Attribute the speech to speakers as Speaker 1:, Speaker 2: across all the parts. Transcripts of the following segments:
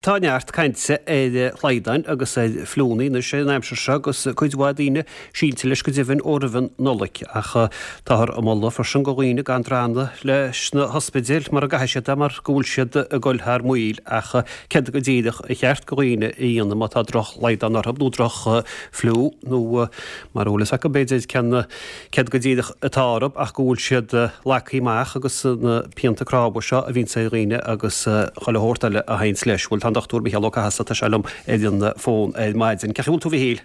Speaker 1: Tá neart cainte ar shlaghdáin agus ar fliúnna anois ar an aimsir seo agus cuid mhaith daoine silte leis go deimhin ó roimh an Nollaig. Ach táthar ag moladh freisin go dhaoine gan drannadh leis na hospidéil mura gcaithfidh siad é mar go bhfuil siad ag dul thar maoil. Ach céard go díreach a cheart go dhaoine a dhéanamh má tá droch-shlaghdán orthu nó droch-fhliú nó mara bhfuil fhios acu b'fhéidir cén céard go díreach atá orthu ach go bhfuil siad lagtha amach agus na pianta cnámha seo a bhíonns ar dhaoine agus chuile shórt eile a théanns leis. Bhuel, tá an Dochtúir Micheál Ó Cathasaigh, tá sé liom ar an bhfón ar maidin. Cén chaoi a bhfuil tú a Mhichíl?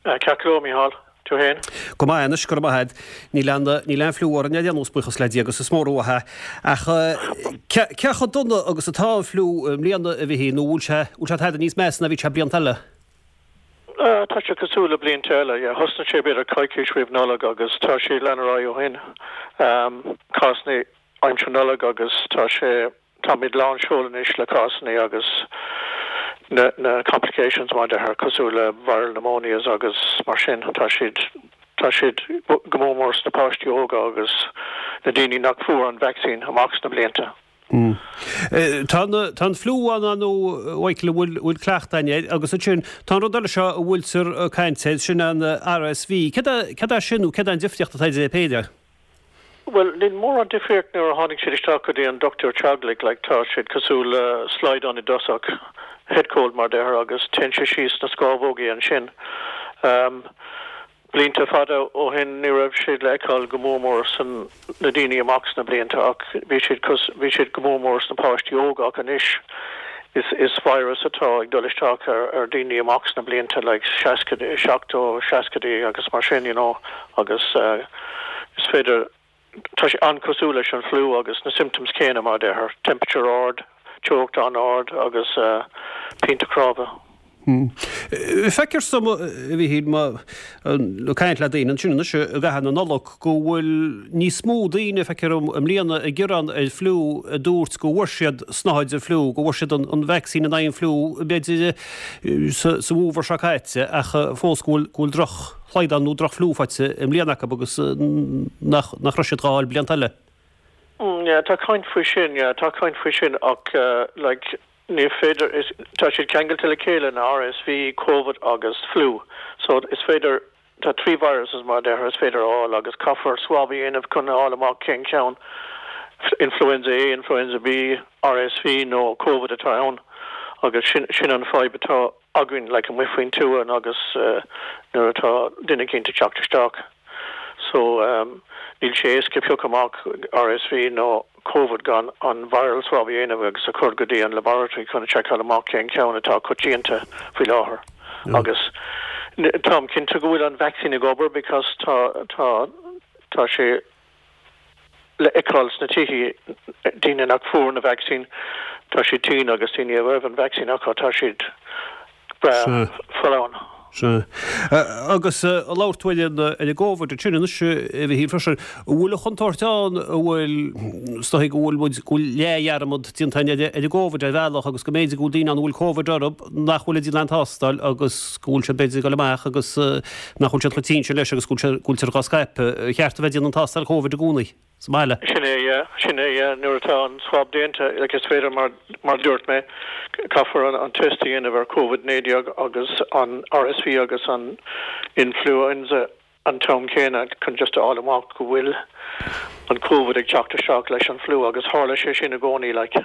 Speaker 2: Ceart go leor, Micheál. Tú
Speaker 1: féin? Go maith anois, go raibh maith agat. Níl aon, níl aon fliú orainn ar aon nós, buíochas le Dia, agus is mór uaidh é. Ach cé, cé chomh dona agus atá an fliú i mbliana, a Mhichíl, nó bhfuil sé, bhfuil sé tada níos measa ná bhí sé blianta eile?
Speaker 2: Tá sé cosúil le blianta eile, yeah. Thosnaigh sé b'fhéidir coicís roimh Nollaig agus tá sé ag lean ar aghaidh ó shin. Cásanna aimsir Nollag agus tá sé, táimid lán seol anois le cásanna agus na, na complications mar a deirtear, cosúil le viral pneumonias agus mar sin. Tá siad, tá siad go mór mór sna páistí óga agus na daoine nach fuair an vaccine amach sna blianta.
Speaker 1: Tá an fliú ann, ar ndóigh, a Mhichíl, a bhfuil bhfuil cleachtadh againn air, agus ansin tá an rud eile seo a bhfuiltear ag caint air, sin an RSV. Céard é céard é sin nó céard é an difríocht atá idir é péire?
Speaker 2: Bhuel, níl mórán difríocht nuair a tháinig siad isteach go dtí an dochtúir teaghlaigh, like tá siad cosúil le slaghdán i dtosach, head cold mar deirtear, agus téann sé síos sna scámhógaí ansin. Blianta fada ó shin ní raibh siad le feiceáil go mór mór san na daoine amach sna blianta ach bhí siad cos bhí siad go mór mór sna páistí óga ach anois is is virus atá ag dul isteach ar ar daoine amach sna blianta like seascaidí seachtó seascaidí agus mar sin you know agus is féidir Tá sé an-cosúil leis an fliú agus na symptoms céanna mar a deirtear, temperature ard, teocht an-ard agus pianta cnámha.
Speaker 1: Feictear dom, a Mhichíl, má ag caint le daoine ansin anois i gcaitheamh na Nollag go bhfuil níos mó daoine, feictear dom, i mbliana ag gearán ar fliú a dúirt go bhfuair siad snáthaid an fliú, go bhfuair siad an vacsaín in aghaidh an fliú b'fhéidir sa bhfómhar seo caite ach fós go bhfuil droch shlaghdán nó droch-fhliú faighte i mbliana acu agus nach nach raibh siad dhá fháil blianta eile.
Speaker 2: Yeah, tá caint faoi sin, yeah, tá caint faoi sin ach like ní féidir, is, tá siad ceangailte le chéile, na RSV, Covid agus fliú. So is féidir, tá trí viruses mar a deirtear is féidir a fháil agus caithfear swab a dhéanamh chun a fháil amach cén ceann, influenza A, influenza B, RSV nó Covid atá ann agus sin, sin an fadhb atá. againn like amuigh faoin tuath agus nuair atá duine eicínt ag teacht isteach so níl sé éasca piocadh amach RSV nó Covid gan an viral swab a dhéanamh agus a chur go dtí an laboratory chun a seiceáil amach cén ceann atá coitianta faoi láthair agus táim cinnte go bhfuil an vaccine ag obair because tá tá tá sé le feiceáil sna tithe, daoine nach fuair na vacsaín, tá siad tinn agus daoine a raibh an vacsaín acu, tá siad breá folláin.
Speaker 1: Sea. Agus labhair tú ar an ar an gCóvid ansin anois a Mhichíl freisin. An bhfuil an chontúirt ann, an bhfuil, is dóigh go bhfuil muid, go bhfuil leathdhearmad déanta againn ar an gCóvid ar bhealach agus go mb'fhéidir go bhfuil daoine ann a bhfuil Cóvid orthu nach bhfuil ag déanamh aon tástáil agus go bhfuil siad b'fhéidir ag dul amach agus nach bhfuil siad chomh tinn sin leis agus go bhfuil go bhfuiltear dhá scaipeadh. Ar cheart a bheith ag déanamh an tástáil Covid i gcónaí sa mbaile.
Speaker 2: Sin é, yeah. Sin é, yeah. Nuair atá an swab déanta, like is féidir mar, mar a dúirt mé, caithfear an, an test a dhéanamh ar Covid 19 agus an RSV agus an influenza an t-am céanna chun just a fháil amach go bhfuil an Covid ag teacht isteach leis an fliú agus tharla sé sin i gcónaí like.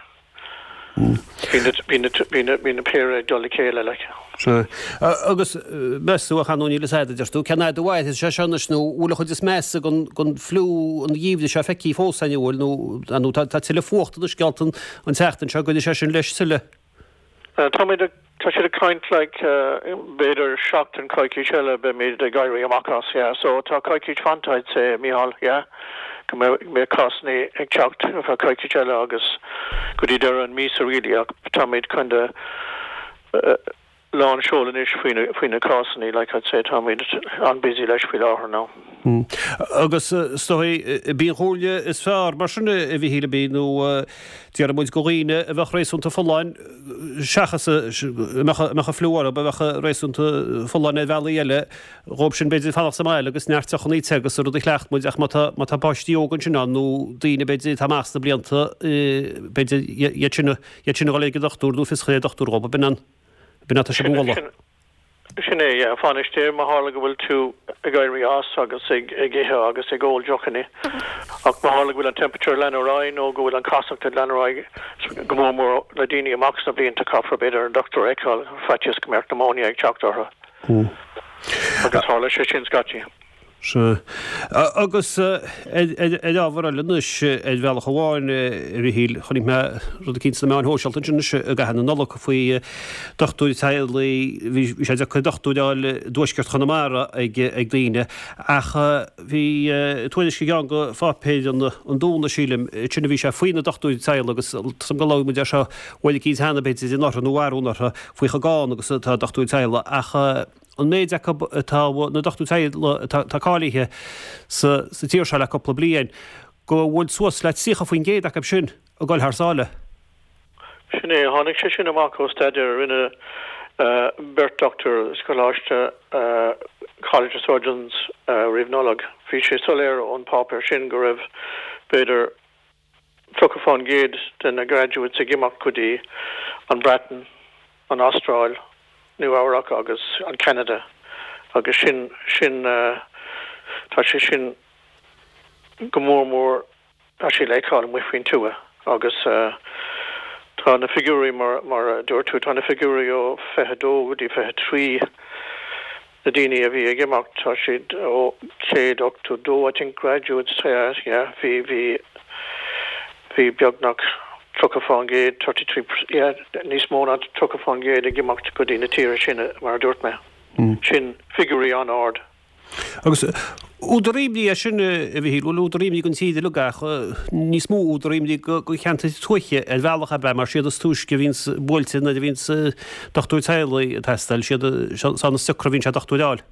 Speaker 2: Bhí na, bhí na, bhí na, bhí na péire ag dul le chéile like.
Speaker 1: Sea. Agus meas tú, ach ar ndóigh níl fhios a'd a deir tú, cén fhad a mhairfidh sé seo anois nó bhfuil an chuid is measa den, den fliú an gheimhridh seo feicthe fós againn, an bhfuil nó, ar ndóigh tá, tá tuilleadh fuachta anois geallta an, an tseachtain seo, an gcuirfidh sé sin leis tuilleadh?
Speaker 2: Táimid ag, tá siad ag caint like b'fhéidir seachtain, coicís eile beimid ag éirí amach as, yeah. So tá coicís fanta I'd say, Mícheál, yeah, go mbeidh, mbeidh cásanna ag teacht ar feadh coicís eile agus go dtí deireadh an míosa really ach táimid kinda. lán seol anois faoi na, faoi na cásanna, like I'd say táimid an-busy leis faoi láthair now.
Speaker 1: Agus is dóigh, b'í an chomhairle is fearr mar sin a Mhichíl, ab í, nó déarfaidh muid go dhaoine a bheadh réasúnta folláin seachas a mbeadh, a mbeadh an fliú orthu, a bheadh réasúnta folláin ar bhealaí eile, dhóibh sin b'fhéidir fanacht sa mbaile agus neart deochanna te agus an rud a chleacht muid ach má tá, má tá páistí óga ansin ann nó daoine b'fhéidir atá amach sna blianta, b'fhéidir iad sin a, iad sin a dhul ag an dochtúir nó fios a chur ar dochtúir dhóibh, b'in an, b'in atá sibh a mholadh.
Speaker 2: Sin é, yeah. Fan istigh má tharla go bhfuil tú ag éirí as agus ag ithe agus ag ól deochanna. Ach má tharla go bhfuil an temperature ag leanadh ar aghaidh nó go bhfuil an casacht ag leanadh ar aghaidh, go mór mór le daoine amach sna blianta, caithfear b'fhéidir an dochtúir a fheiceáil, faitíos go mbeadh pneumonia ag teacht orthu. Agus tharla sé sin scaití.
Speaker 1: Sea. Agus ar ábhar eile anois, ar bhealach amháin, a Mhichíl, chonaic mé rud eicínt sna meáin shóisialta ansin anois i gcaitheamh na Nollag faoi dochtúir teaghlaigh, bhí sé deacair dochtúir a fháil i dtuaisceart Chonamara ag daoine, ach bhí tuairisc i gceann de pháipéir an Domhnaigh, sílim, sin a bhí sé faoi na dochtúirí teaghlaigh agus tá 's agam gur labhair muid air seo uair eicínt cheana, b'fhéidir, anuraidh nó arú anuraidh, faoi chomh gann agus atá dochtúirí teaghlaigh ach an méid acu atá, na dochtúirí teaghlaigh atá cáilithe sa tír seo le cúpla bliain, go bhfuil suas le 30% acu sin ag dul thar sáile.
Speaker 2: Sin é. Tháinig sé sin amach ó staidéar a rinne beirt dochtúir sa choláiste College of Surgeons roimh Nollaig. Bhí sé soiléir ón páipéar sin go raibh b'fhéidir 30% de na graduates ag imeacht go dtí an Breatain, an Astráil, Nua Eabhrac agus an Ceanada agus sin, sin, tá sé sin go mór mór, tá sé le feiceáil amuigh faoin tuath agus tá na figiúirí mar, mar a dúirt tú, tá na figiúirí ó 22 go dtí 23. Na daoine a bhí ag imeacht, tá siad ó 182 I think graduates, yeah, yeah, bhí, bhí, bhí beagnach 30%, 33, yeah, níos mó ná 30% ag imeacht go dtí na tíortha sin, mar a dúirt mé. Sin figiúirí an-ard.
Speaker 1: Agus údar imní é sin, a Mhichíl, bhuel údar imní don tír uilig ach níos mó údar imní do cheantair tuaithe ar bhealach ab ea mar siad is túisce a bhíonns buailte nuair a bhíonns dochtúir teaghlaigh ag teastáil, siad san is deacra a bhíonn sé dochtúir a fháil.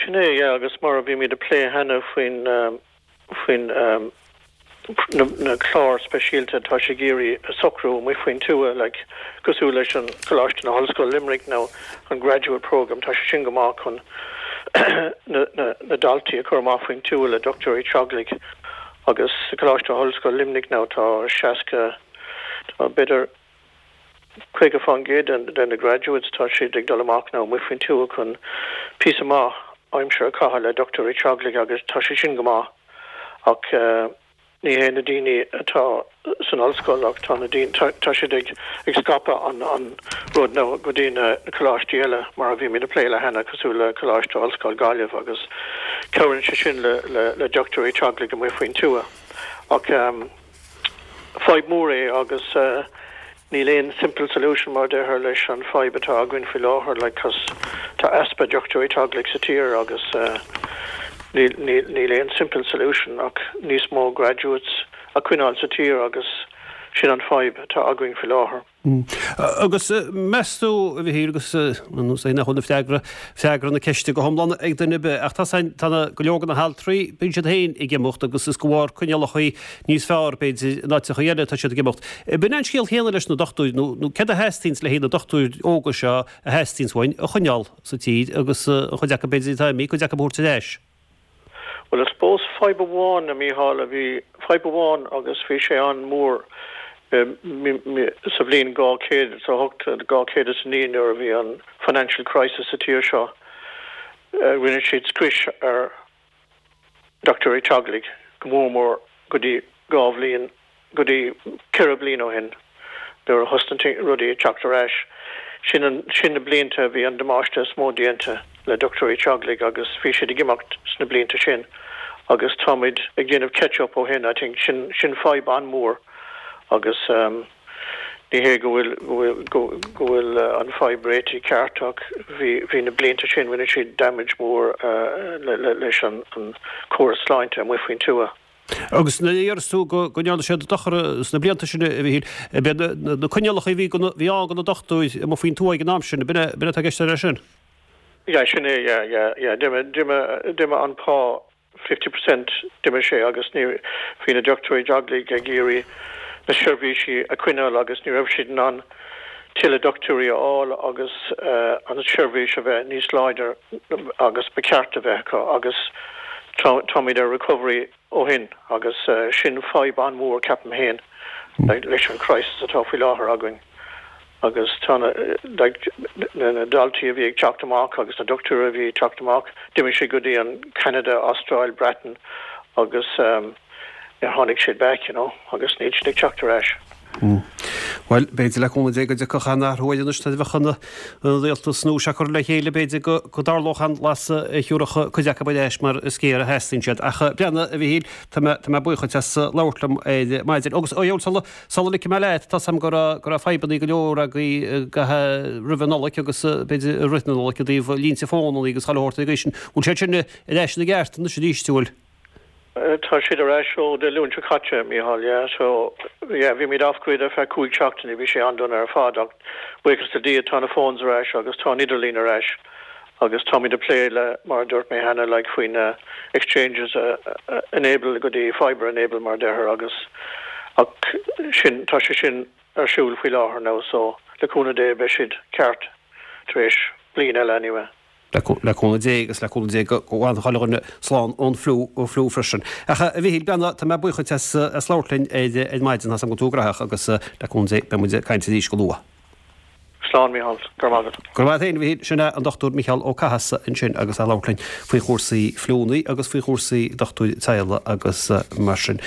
Speaker 2: Sin é, yeah, agus mar a bhí muid ag plé cheana faoin, faoin na cláir speisialta atá sé ag iarraidh a socrú amuigh faoin tuath, like, cosúil leis an Coláiste na hOllscoile Limerick nó an Graduate Programme, tá sé sin go maith chun na, na, na daltaí a chur amach faoin tuath le dochtúirí teaghlaigh agus sa Coláiste Ollscoile Luimnigh now tá 60, tá b'fhéidir 50% de na graduates, tá siad ag dul amach now amuigh faoin tuath chun píosa maith aimsire a chaitheamh le dochtúirí teaghlaigh agus tá sé sin go maith ach ní hé na daoine atá san ollscoil ach tá na daoine, tá siad ag scaipeadh an an rud now go dtí na coláistí eile mar a bhí muid ag plé le cheana cosúil le Coláiste Ollscoil Gaillimh agus cabhraíonn sé sin le le dochtúirí teaghlaigh amuigh faoin tuath ach Fadhb mhór é agus níl aon simple solution mar a deirtear leis an fadhb atá againn faoi láthair like cos tá easpa dochtúirí teaghlaigh sa tír agus níl níl níl aon simple solution ach níos mó graduates a choinneáil sa tír agus sin an fadhb atá againn faoi láthair.
Speaker 1: Agus meas tú, a Mhichíl, agus nós é nach bhfuil na freagra, freagra na ceiste go hiomlán ag duine ar bith, ach tá tá na, go leor de na haltraí, bíonn siad féin ag imeacht agus is de bharr coinníollacha níos fearr, b'fhéidir, in áiteacha eile atá siad ag imeacht. B'in é an scéal chéanna leis na dochtúirí, nó, nó céard a theastaíonns le haghaidh na dochtúirí óga seo a theastaíonns uainn a choinneáil sa tír agus an chuid acu b'fhéidir atá imithe, cuid acu a thabhairt ar ais?
Speaker 2: Bhuel, I suppose fadhb amháin, a Mhícheáil, a bhí, fadhb amháin agus bhí sé an-mhór sa bhliain 208, 209 nuair a bhí an financial crisis sa tír seo, rinne siad scrios ar dochtúirí teaghlaigh go mór mór go dtí 2 bhliain go dtí 4 bliana ó shin nuair a thosnaigh rudaí ag teacht ar ais. Sin an, sin na blianta a bhí an damáiste is mó déanta le dochtúirí teaghlaigh agus bhí siad ag imeacht sna blianta sin agus táimid ag déanamh catch up ó shin I think. Sin, sin fadhb an-mhór agus ní hé go bhfuil, go bhfuil, go, go bhfuil an fadhb réitithe ceart ach bhí, bhí na blianta sin, rinne siad damage mór le, le, leis an, an córas sláinte amuigh faoin tuath.
Speaker 1: Agus nuair a deireas tú go ndearna siad dochar sna blianta sin, a Mhichíl, ab iad na coinníollacha a bhí bhí ann do na dochtúirí amuigh faoin tuath ag an am sin, ab in é atá i gceist leis sin?
Speaker 2: Yeah, sin é, yeah, yeah, yeah. D'imigh, d'imigh, d'imigh an pá 50%, d'imigh sé agus ní, bhí na dochtúirí teaghlaigh ag iarraidh na seirbhísí a choinneáil agus ní raibh siad in ann tuilleadh dochtúirí a fháil agus an tseirbhís a bheith níos láidir agus ba cheart a bheith acu agus táimid ar recovery ó shin agus sin fadhb an-mhór ceapaim féin leis an crisis atá faoi láthair againn agus tá na like na daltaí a bhí ag teacht amach agus na dochtúirí a bhí ag teacht amach d'imigh siad go dtí an Canada, Astráil, Breatain agus níor tháinig siad back you know agus níl siad ag teacht ar ais.
Speaker 1: Bhuel, b'fhéidir le cúnamh Dé go dtiocfadh an athrú air anois nuair a bheadh an rialtas nua seo curtha le chéile, b'fhéidir go dtarlódh an lasadh a thiúrfadh cuid acu ar ais mar is géar a theastaíonn siad. Ach breathnaigh, a Mhichíl, tá mé, tá mé buíoch duit as labhairt liom ar maidin. Agus, ó dheabhail, sula, sula ligfidh mé leat, tá's a'm go raibh, go raibh fadhbannaí go leor agaibh roimh an Nollaig agus b'fhéidir i rith na Nollag i dtaobh línte fónannaí agus chuile shórt ag sin. Bhfuil siad sin ar ais ina gceart anois arís, an bhfuil?
Speaker 2: Tá siad ar ais ó Dé Luain seo caite, Mícheál, yeah. So, yeah, bhí muid off grid ar feadh 5 seachtainí, bhí sé an-dona ar fad ach buíochas le Dia tá na phones ar ais agus tá an idirlíon ar ais agus táimid ag plé le, mar a dúirt mé cheana, like faoi na exchanges a enable go dtí fibre enable mar a deirtear agus ach sin, tá sé sin ar siúl faoi láthair now so le cúnamh Dé beidh siad ceart tar éis bliain eile anyway.
Speaker 1: Le cúnamh Dé agus le cúnamh Dé go bhfanfadh chuile dhuine slán ón fliú freisin. Ach a Mhichíl, breathnaigh, tá mé buíoch duit as labhairt linn ar maidin, tá's agam go bhfuil tú graitheach agus le cúnamh Dé beidh muid ag caint arís go luath.
Speaker 2: Slán Mícheál, go raibh maith
Speaker 1: agat. Go raibh maith agat féin a Mhichíl. Sin é an Dr Micheál Ó Cathasaigh ansin agus é ag labhairt linn faoi chúrsaí fliúnnaí agus faoi chúrsaí dochtúir teaghlaigh agus mar sin.